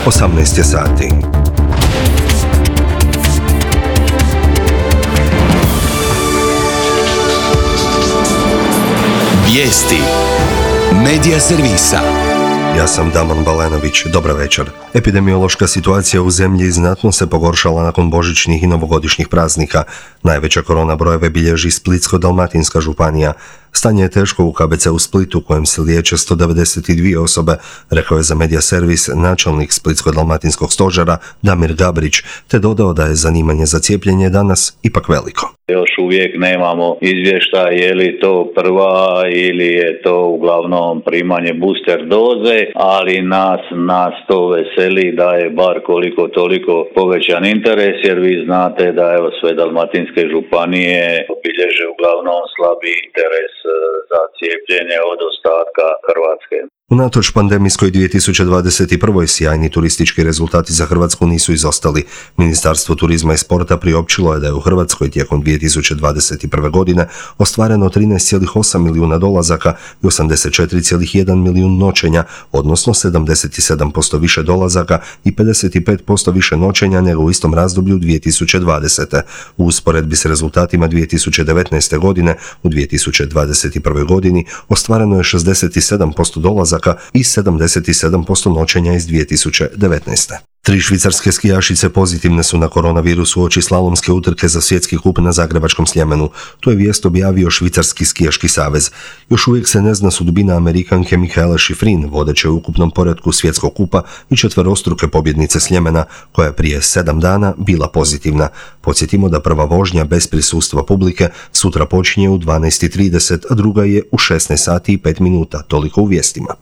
18 je sati. Vijesti Medija servisa. Ja sam Damon Balenović, dobra večer. Epidemiološka situacija u zemlji znatno se pogoršala nakon božićnih i novogodišnjih praznika. Najveća korona brojeve bilježi Splitsko-dalmatinska županija. Stanje je teško u KBC u Splitu, kojem se liječe 192 osobe, rekao je za Medija servis načelnik Splitsko-dalmatinskog stožera Damir Gabrić, te dodao da je zanimanje za cijepljenje danas ipak veliko. Još uvijek nemamo izvještaj je li to prva ili je to uglavnom primanje booster doze, ali nas to veseli da je bar koliko toliko povećan interes, jer vi znate da evo sve dalmatinske županije obilježe uglavnom slabi interes za cijepljenje od ostatka Hrvatske. Unatoč pandemijskoj 2021. sjajni turistički rezultati za Hrvatsku nisu izostali. Ministarstvo turizma i sporta priopćilo je da je u Hrvatskoj tijekom 2021. godine ostvareno 13,8 milijuna dolazaka i 84,1 milijun noćenja, odnosno 77% više dolazaka i 55% više noćenja nego u istom razdoblju 2020. U usporedbi s rezultatima 2019. godine, u 2021. godini ostvareno je 67% dolazaka i 77% noćenja iz 2019. 3 švicarske skijašice pozitivne su na koronavirus uoči slalomske utrke za svjetski kup na Zagrebačkom Sljemenu. To je vijest objavio Švicarski skijaški savez. Još uvijek se ne zna sudbina Amerikanke Michaele Schifrin, vodeće u ukupnom poretku svjetskog kupa i četverostruke pobjednice Sljemena, koja je prije 7 dana bila pozitivna. Podsjetimo da prva vožnja bez prisustva publike sutra počinje u 12:30, a druga je u 16 sati i 5 minuta, toliko u vijestima.